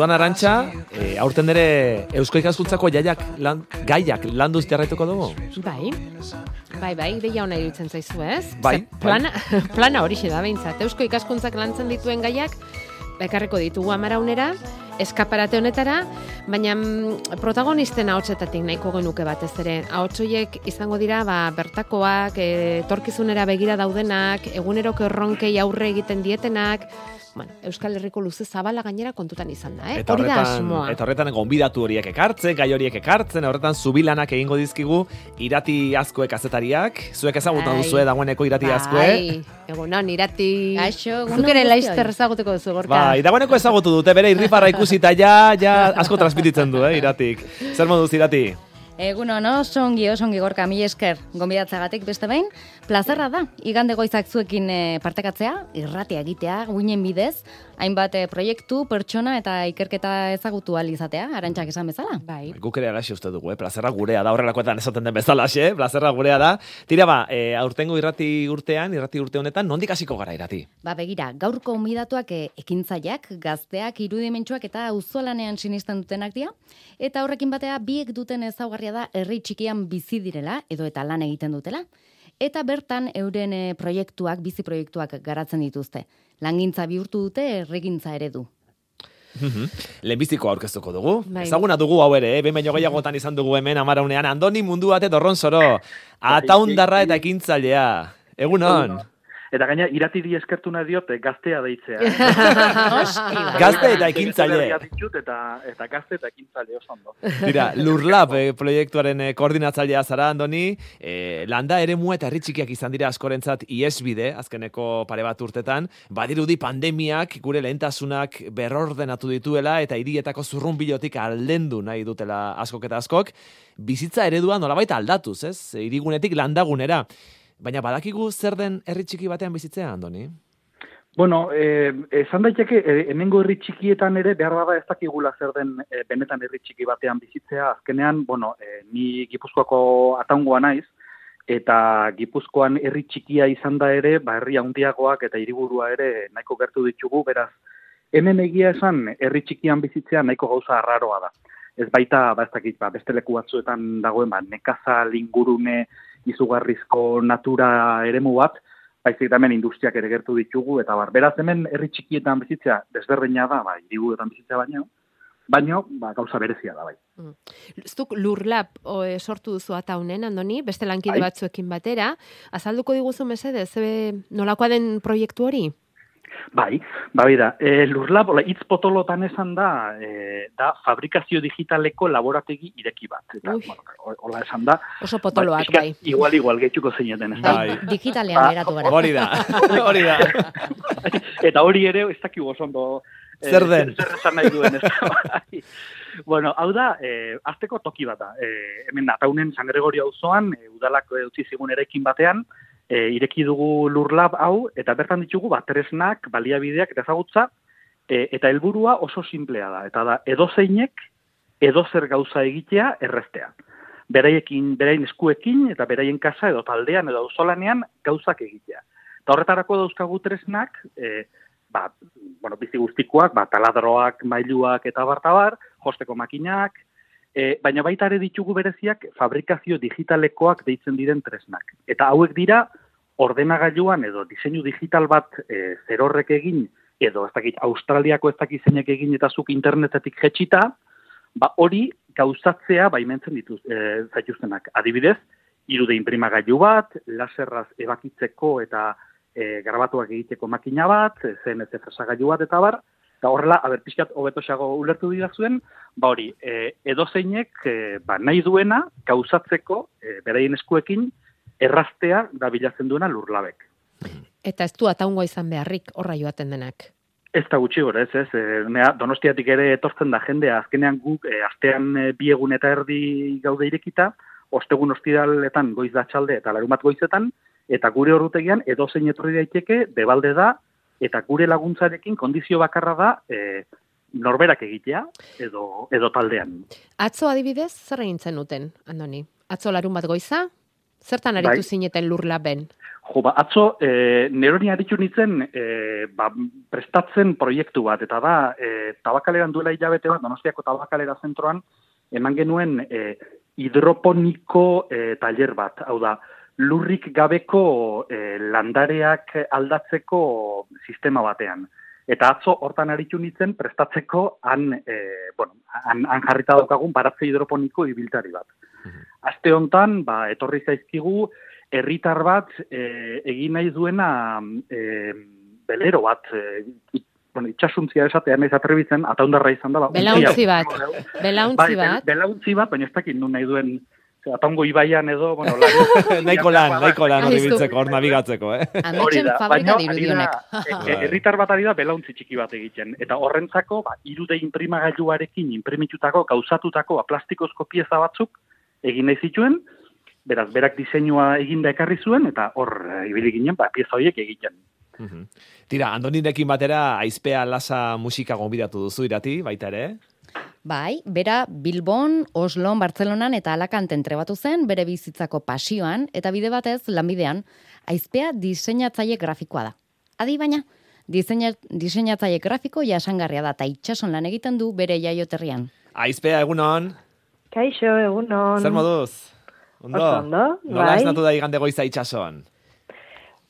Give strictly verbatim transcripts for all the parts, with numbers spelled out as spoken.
Orduan Arantxa, e, aurten ere Eusko Ikaskuntzako jaiak lan, gaiak landuz jarraituko dugu? Bai, bai, bai, ideia hona iruditzen zaizu, ez? Bai, Zer, plana, bai. Plana horixe da behintzat. Eusko Ikaskuntzak lantzen dituen gaiak, bekarreko ditugu amaraunera, eskaparate honetara, baina mm, protagonisten ahotsetatik nahiko genuke batez ere. Ahotsoiek izango dira ba, bertakoak, etorkizunera begira daudenak, eguneroko erronkei aurre egiten dietenak, bueno, Euskal Herriko luze zabala gainera kontutan izan da, eh? Eta Hori da horretan, asmoa. eta horretan gonbidatu horiek ekartzen, gai horiek ekartzen, horretan zubilanak egingo dizkigu irati azkue kazetariak. Zuek ezagutan Bai. duzue dagoeneko irati azkue. Bai, egunon, irati. Gaixo, egunon Zuk ere guztioi. laizter ezagutuko duzu, Gorka. Bai, dagoeneko ezagutu dute, bere irrifarra ikusita ja, ja asko transmititzen du, eh, iratik. Zer moduz irati? Egun ono, songi, osongi Gorka, mi esker gonbidatzagatik beste behin. Plazerra da, igande goizak zuekin e, partekatzea, irratia egitea, guinen bidez, hainbat e, proiektu, pertsona eta ikerketa ezagutu ahal izatea, Arantxak esan bezala. Bai. Guk ere alaxe uste dugu, eh? Plazerra gurea da, horrelakoetan esaten den bezalaxe, plazerra gurea da. Tira ba, e, aurtengo irrati urtean, irrati urte honetan, nondik hasiko gara irati? Ba begira, gaurko gonbidatuak e, ekintzaileak, gazteak, irudimentsuak eta auzolanean sinisten dutenak dira, eta horrekin batea biek duten ezaugarria da herri txikian bizi direla edo eta lan egiten dutela. Eta bertan euren e, proiektuak, bizi proiektuak garatzen dituzte. Langintza bihurtu dute herrigintza eredu. Lehenbiziko aurkeztuko dugu. Bai. Ezaguna dugu hau ere, eh? Behin baino gehiagotan izan dugu hemen amaraunean. Andoni mundu bate dorron zoro. Ataundarra eta ekintzailea. Egunon. Eta gaina iratiri eskertu nahi diot gaztea deitzea. Gazte eta ekintzaile. Ditut eta, eta gazte eta ekintzaile oso ondo. Dira, Lurlab eh, proiektuaren eh, koordinatzailea zara, Andoni. Eh, landa eremu eta herri txikiak izan dira askorentzat iesbide, azkeneko pare bat urtetan. Badirudi pandemiak gure lehentasunak berrordenatu dituela eta hirietako zurrunbilotik aldendu nahi dutela askok eta askok. Bizitza eredua nolabait aldatuz, ez? Hirigunetik landagunera. Baina badakigu zer den herri txiki batean bizitzea, Andoni? Bueno, eh, esan daiteke, eh, hemengo herri txikietan ere, behar bada ez dakigula zer den eh, benetan herri txiki batean bizitzea. Azkenean, bueno, eh, ni Gipuzkoako ataungoa naiz, eta Gipuzkoan herri txikia izan da ere, ba, herri handiagoak eta hiriburua ere nahiko gertu ditugu, beraz, hemen egia esan herri txikian bizitzea nahiko gauza arraroa da. Ez baita, ba, ez dakit, ba, beste leku batzuetan dagoen, ba, nekazal, ingurune, izugarrizko natura eremu bat, baizik hemen industriak ere gertu ditugu, eta bar, beraz hemen herri txikietan bizitzea desberdina da, ba, hiriburuetan bizitzea baino, baino, ba, gauza berezia da, bai. Mm. Zuk Lurlab o, e, sortu duzu ataunen, Andoni, beste lankide Bai. batzuekin batera, azalduko diguzu mesedez, ze nolakoa den proiektu hori? Bai, bai da, e, Lurlab, hola, hitz potolotan esan da, e, da fabrikazio digitaleko laborategi ireki bat. Eta, Ui. bueno, hola esan da. Oso potoloak, pixkat bai. Igual, igual, gehituko zeineten, ez da. Bai. Digitalean Ba, geratu gara. Hori da, hori da. Eta hori ere, ez dakigu oso ondo. eh, Zer den? Zer esan nahi duen, ez da. Bai. Bueno, hau da, eh, azteko toki bat da. Eh, hemen ataunen San Gregorio auzoan, eh, udalak utzi zigun eraikin batean, E, ireki dugu Lurlab hau, eta bertan ditugu bat tresnak, baliabideak eta ezagutza, e, eta helburua oso simplea da. Eta da, edozeinek, edozer gauza egitea erreztea. Beraiekin, beraien eskuekin, eta beraien kasa edo taldean edo auzolanean gauzak egitea. Eta horretarako dauzkagu tresnak, e, ba, bueno, bizi guztikoak, ba, taladroak, mailuak eta bartabar, josteko makinak, e, baina baita ere ditugu bereziak fabrikazio digitalekoak deitzen diren tresnak. Eta hauek dira, ordenagailuan edo diseinu digital bat e, zerorrek egin, edo ez dakit Australiako ez dakit zeinek egin eta zuk internetetik jetxita, ba hori gauzatzea baimentzen dituz, e, zaituztenak. Adibidez, irude inprimagailu bat, laserraz ebakitzeko eta e, grabatuak egiteko makina bat, C N C fresagailu bat eta bar, eta horrela, aber pixkat hobetosago ulertu dira zuen, ba hori, e, edozeinek e, ba, nahi duena gauzatzeko e, beraien eskuekin erraztea da bilatzen duena Lurlabek. Eta ez du ataungoa izan beharrik horra joaten denak. Ez da gutxi gora, ez, ez. E, nea, Donostiatik ere etortzen da jendea, azkenean guk, e, astean e, bi egun eta erdi gaude irekita, ostegun ostiraletan goiz da txalde eta larumat goizetan, eta gure horrutegian edozein etorri daiteke, debalde da, eta gure laguntzarekin kondizio bakarra da e, norberak egitea edo, edo taldean. Atzo adibidez, zer egin zenuten, Andoni? Atzo larun bat goiza? Zertan aritu Bai. zineten Lurlaben? Jo, ba, atzo, e, neroni aritu nintzen e, ba, prestatzen proiektu bat, eta da, e, Tabakaleran duela hilabete bat, Donostiako Tabakalera zentroan, eman genuen e, hidroponiko e, taller bat, hau da, lurrik gabeko e, landareak aldatzeko sistema batean. Eta atzo hortan aritu nintzen prestatzeko han, e, bueno, han, han jarrita daukagun baratze hidroponiko ibiltari bat. Aste hontan, ba, etorri zaizkigu, herritar bat e, egin nahi duena e, belero bat, e, it, bueno, itxasuntzia esatean ez atrebitzen, ataundarra izan da. Ba, Belauntzi bat, belauntzi bai, bat. Belauntzi bat, baina ez dakit nun nahi duen, ataungo ibaian edo, bueno, lari. Nahiko lan, nahiko lan hori biltzeko, hor nabigatzeko, eh? Ametxen fabrika dirudionek. Herritar bat ari da belauntzi txiki bat egiten. Eta horrentzako, ba, irude imprimagailuarekin imprimitutako, gauzatutako, ba, plastikozko pieza batzuk egin nahi zituen, beraz, berak diseinua eginda ekarri zuen, eta hor e, ibili ginen, ba, pieza horiek egiten. Uhum. Tira, Andonirekin batera, Aizpea Lasa musika gonbidatu duzu irati, baita ere? Bai, bera Bilbon, Oslon, Bartzelonan eta Alakanten trebatu zen bere bizitzako pasioan eta bide batez lanbidean Aizpea diseinatzaile grafikoa da. Adi baina, diseina, diseinatzaile grafiko jasangarria da eta itsason lan egiten du bere jaioterrian. Aizpea, egunon? Kaixo, egunon. Zer moduz? Ondo? Oso ondo, Nola bai. esnatu da igande goiza itxason?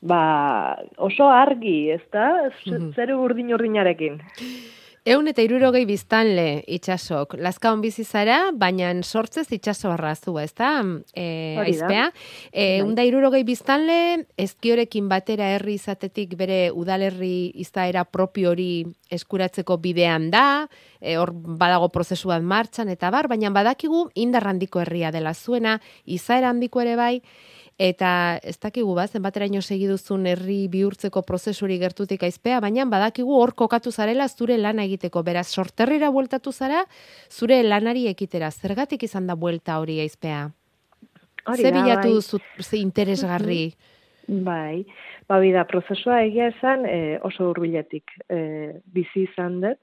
Ba, oso argi, ez da? Zeru urdin-urdinarekin. Eun eta irurogei biztanle itxasok. Lazkaon bizi zara, baina sortzez itxasoarra zu, ez da? E, Hori da. Aizpea. E, eun da irurogei biztanle, ezkiorekin batera herri izatetik bere udalerri izaera propio hori eskuratzeko bidean da, e, hor badago prozesu bat martxan eta bar, baina badakigu indar handiko herria dela zuena, izaera handiko ere bai, eta ez dakigu ba, zenbateraino segiduzun herri bihurtzeko prozesuri gertutik Aizpea, baina badakigu hor kokatu zarela zure lana egiteko. Beraz, sorterrira bueltatu zara, zure lanari ekitera. Zergatik izan da buelta hori Aizpea? Hori Ze da, bilatu bai. duzu ze interesgarri? Bai, ba, bida, prozesua egia esan e, oso hurbiletik e, bizi izan dut.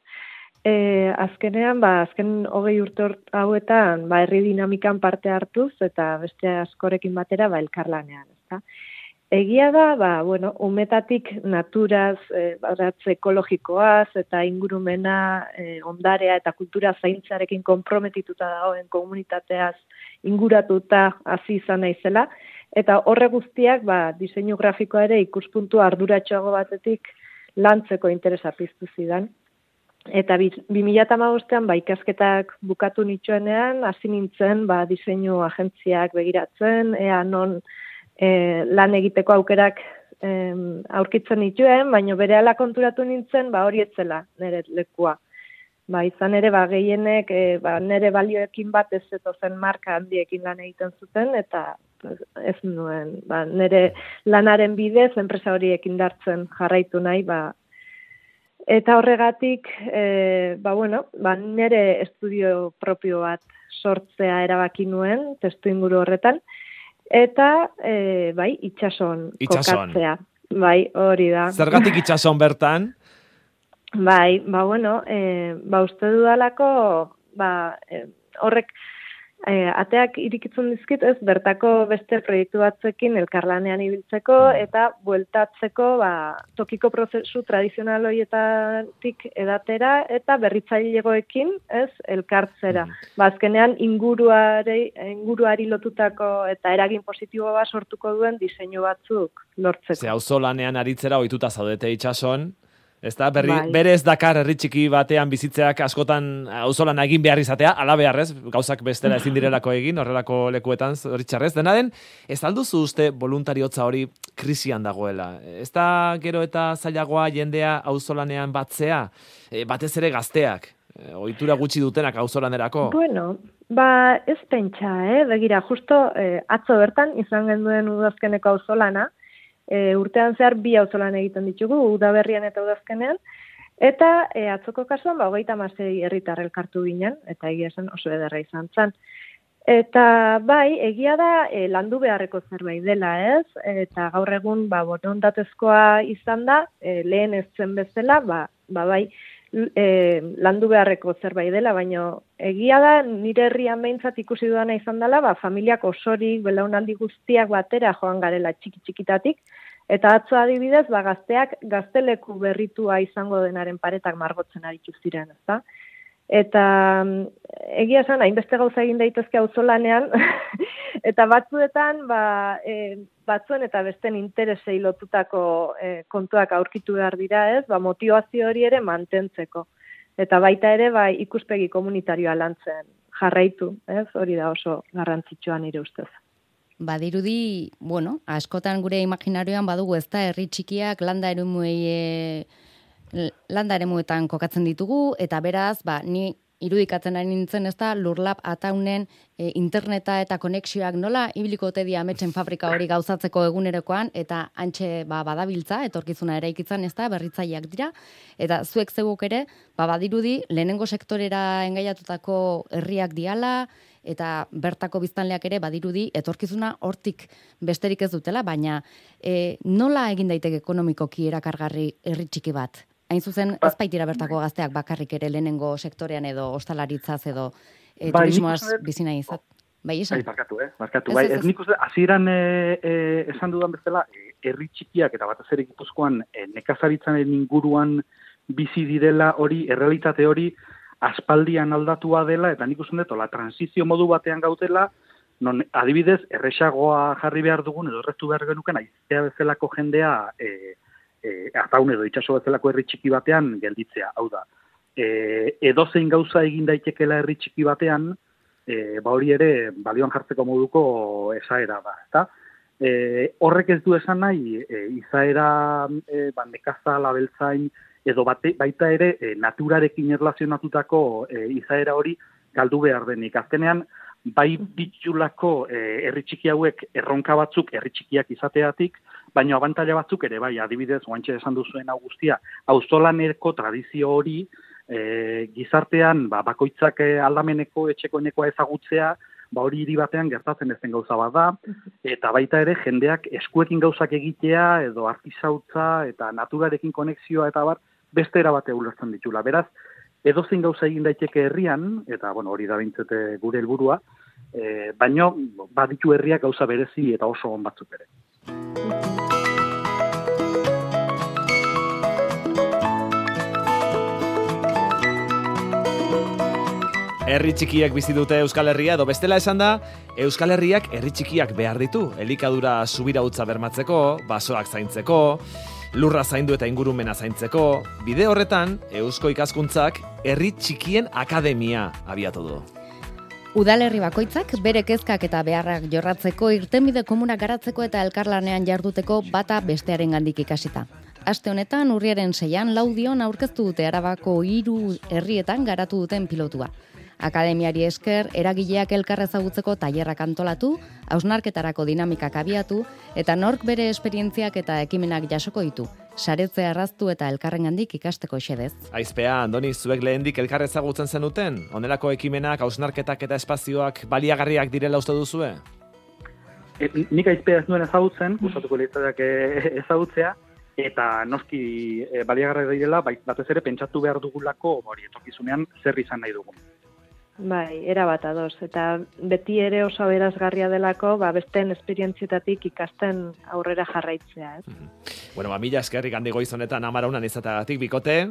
E, azkenean, ba, azken hogei urte hor- hauetan, ba, herri dinamikan parte hartuz, eta beste askorekin batera, ba, elkarlanean, ezta? Egia da, ba, bueno, umetatik naturaz, e, baratze ekologikoaz, eta ingurumena, e, ondarea eta kultura zaintzarekin konprometituta dagoen komunitateaz inguratuta hasi izan naizela, eta horre guztiak, ba, diseinu grafikoa ere ikuspuntu arduratxoago batetik lantzeko interesa piztu zidan. Eta bi mila hamabostean ba, ikasketak bukatu nitxuenean, hasi nintzen ba, diseinu agentziak begiratzen, ea non e, lan egiteko aukerak e, aurkitzen nituen, baina berehala konturatu nintzen ba, hori etzela nire lekua. Ba, izan ere, ba, gehienek e, ba, nire balioekin bat ez zetozen marka handiekin lan egiten zuten, eta ez nuen, ba, nire lanaren bidez, enpresa horiek indartzen jarraitu nahi, ba, eta horregatik, e, ba, bueno, ba, nire estudio propio bat sortzea erabaki nuen, testu inguru horretan, eta, e, bai, itxason, Itsason. kokatzea. Bai, hori da. Zergatik itxason bertan? Bai, ba, bueno, e, ba, uste dudalako, ba, e, horrek, e, ateak irikitzen dizkit, ez, bertako beste proiektu batzekin elkarlanean ibiltzeko, eta bueltatzeko, ba, tokiko prozesu tradizional horietatik edatera, eta berritzailegoekin, ez, elkartzera. Ba, azkenean, inguruari, inguruari lotutako eta eragin positibo bat sortuko duen diseinu batzuk lortzeko. Ze auzolanean aritzera ohituta zaudete itxason, ez da, berri, Bai. berez dakar herri txiki batean bizitzeak askotan auzolana egin behar izatea, ala beharrez, gauzak bestela ezin direlako egin, horrelako lekuetan zoritxarrez. Dena den, ez alduzu uste voluntariotza hori krisian dagoela? Ez da gero eta zailagoa jendea auzolanean batzea, e, batez ere gazteak, e, ohitura gutxi dutenak auzolanerako? Bueno, ba, ez pentsa, eh? Begira, justo eh, atzo bertan izan genduen udazkeneko auzolana, e, urtean zehar bi auzolan egiten ditugu, udaberrian eta udazkenean, eta e, atzoko kasuan, ba, hogeita hamasei herritar elkartu ginen, eta egia esan oso ederra izan zen. Eta bai, egia da e, landu beharreko zerbait dela, ez? Eta gaur egun, ba, borondatezkoa izan da, e, lehen ez zen bezala, ba, ba bai, e, landu beharreko zerbait dela, baina egia da nire herrian behintzat ikusi dudana izan dela, ba, familiak osorik, belaunaldi guztiak batera joan garela txiki-txikitatik, eta atzo adibidez, ba, gazteak gazteleku berritua izango denaren paretak margotzen aritu ziren, ezta? Eta egia esan, hainbeste gauza egin daitezke auzolanean, eta batzuetan, ba, e, batzuen eta besten interesei lotutako e, kontuak aurkitu behar dira ez, ba, motivazio hori ere mantentzeko. Eta baita ere, ba, ikuspegi komunitarioa lantzen jarraitu, ez? Hori da oso garrantzitsua nire ustez. Badirudi, bueno, askotan gure imaginarioan badugu ez da herri txikiak landa eremuei e, landa eremuetan kokatzen ditugu, eta beraz, ba, ni irudikatzen ari nintzen ez da, Lurlab ataunen e, interneta eta konexioak nola ibiliko ote dia ametsen fabrika hori gauzatzeko egunerokoan, eta antxe ba, badabiltza, etorkizuna eraikitzen ez da, berritzaileak dira, eta zuek zeuguk ere, ba, badirudi, lehenengo sektorera engaiatutako herriak diala, eta bertako biztanleak ere badirudi etorkizuna hortik besterik ez dutela, baina e, nola egin daiteke ekonomikoki erakargarri herri txiki bat? Hain zuzen, ez baitira bertako gazteak bakarrik ere lehenengo sektorean edo ostalaritzaz edo e, Bai, turismoaz nik uste- bizina izat. Bai, esan? Bai, barkatu, eh? Barkatu, Ez, bai. ez, Ez ez. nik uste, hasieran e, e, esan dudan bezala, e, herri txikiak eta batez ere Gipuzkoan e, nekazaritzaren inguruan bizi direla hori, errealitate hori, aspaldian aldatua dela, eta nik uste dut, la transizio modu batean gautela, non adibidez, erresagoa jarri behar dugun, edo erretu behar genuken, aiztea bezalako jendea, e, e, ataun edo itxaso bezalako herri txiki batean gelditzea, hau da. E, edozein gauza egin daitekela herri txiki batean, e, ba hori ere balioan jartzeko moduko esaera da, ezta? E, horrek ez du esan nahi, e, izaera e, ba, nekaza, labeltzain, edo bate, baita ere e, naturarekin erlazionatutako e, izaera hori galdu behar denik. Azkenean, bai bitxulako e, herri txiki hauek erronka batzuk herri txikiak izateatik, baina abantaila batzuk ere, bai, adibidez, oantxe esan duzuen hau guztia, auzolaneko tradizio hori, e, gizartean, ba, bakoitzak e, aldameneko, etxekoenekoa ezagutzea, ba hori hiri batean gertatzen ez den gauza bat da, eta baita ere jendeak eskuekin gauzak egitea, edo artisautza, eta naturarekin konexioa, eta bar, beste era bate ulertzen ditula. Beraz, edozein gauza egin daiteke herrian, eta bueno, hori da bintzete gure helburua, e, baino baditu herriak gauza berezi eta oso on batzuk ere. Herri txikiak bizi dute Euskal Herria, edo bestela esan da, Euskal Herriak herri txikiak behar ditu. Elikadura subirautza bermatzeko, basoak zaintzeko, lurra zaindu eta ingurumena zaintzeko. Bide horretan, Eusko Ikaskuntzak herri txikien akademia abiatu du. Udalerri bakoitzak bere kezkak eta beharrak jorratzeko, irtenbide komunak garatzeko eta elkarlanean jarduteko bata bestearengandik ikasita. Aste honetan urriaren seian Laudion aurkeztu dute Arabako hiru herrietan garatu duten pilotua. Akademiari esker, eragileak elkar ezagutzeko tailerrak antolatu, hausnarketarako dinamikak abiatu, eta nork bere esperientziak eta ekimenak jasoko ditu. Saretzea erraztu eta elkarrengandik ikasteko xedez. Aizpea, Andoni, zuek lehendik elkar ezagutzen zenuten? Honelako ekimenak, hausnarketak eta espazioak baliagarriak direla uste duzue? E, nik aizpea ez nuen ezagutzen, gustatuko litzaidak ezagutzea, eta noski e, baliagarriak direla, bai, batez ere pentsatu behar dugulako hori etorkizunean zer izan nahi dugun. Bai, erabat ados. Eta beti ere oso aberasgarria delako, ba, besteen esperientzietatik ikasten aurrera jarraitzea, ez? Bueno, ba, mila eskerrik handi goizonetan amaraunan izatagatik bikote,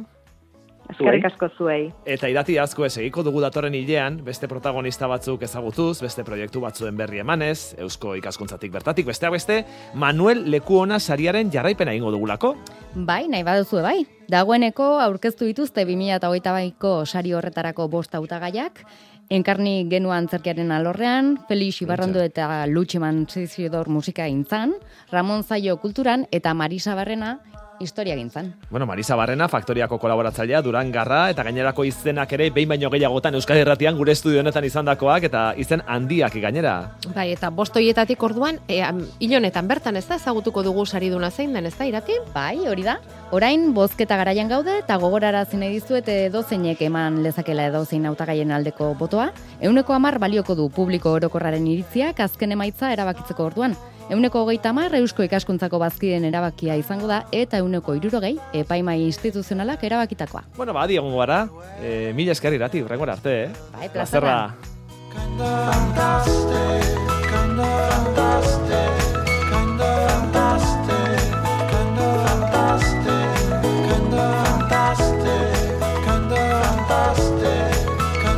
Eskerrik asko zuei. eta irati asko ez egiko dugu datorren hilean, beste protagonista batzuk ezagutuz, beste proiektu batzuen berri emanez, Eusko Ikaskuntzatik bertatik, besteak beste, Manuel Lekuona sariaren jarraipena egingo dugulako. Bai, nahi baduzue bai. Dagoeneko aurkeztu dituzte bi mila hogeita baiko sari horretarako bost hautagaiak, Enkarni genua antzerkiaren alorrean, Felix Ibarrondo eta Lutximan Zizidor musika gintzan, Ramon Zaio kulturan eta Marisa Barrena historia gintzan. Bueno, Marisa Barrena, Faktoriako kolaboratzailea, Durangarra, eta gainerako izenak ere behin baino gehiagotan Euskal Irratian gure estudio honetan izandakoak eta izen handiak gainera. Bai, eta bost hoietatik orduan, e, hil honetan bertan, ez da, ezagutuko dugu sariduna zein den, ez da, Irati? Bai, hori da. Orain bozketa garaian gaude eta gogorarazi nahi dizuet edozeinek eman lezakela edozein hautagaien aldeko botoa. Ehuneko hamar balioko du publiko orokorraren iritziak azken emaitza erabakitzeko orduan. Euneko hogeita hamar Eusko Ikaskuntzako bazkideen erabakia izango da, eta euneko hirurogei epaimai instituzionalak erabakitakoa. Bueno, ba, adi egongo gara. E, mila esker irati, urrengora arte, eh? Bai, plazerra. Plazerra.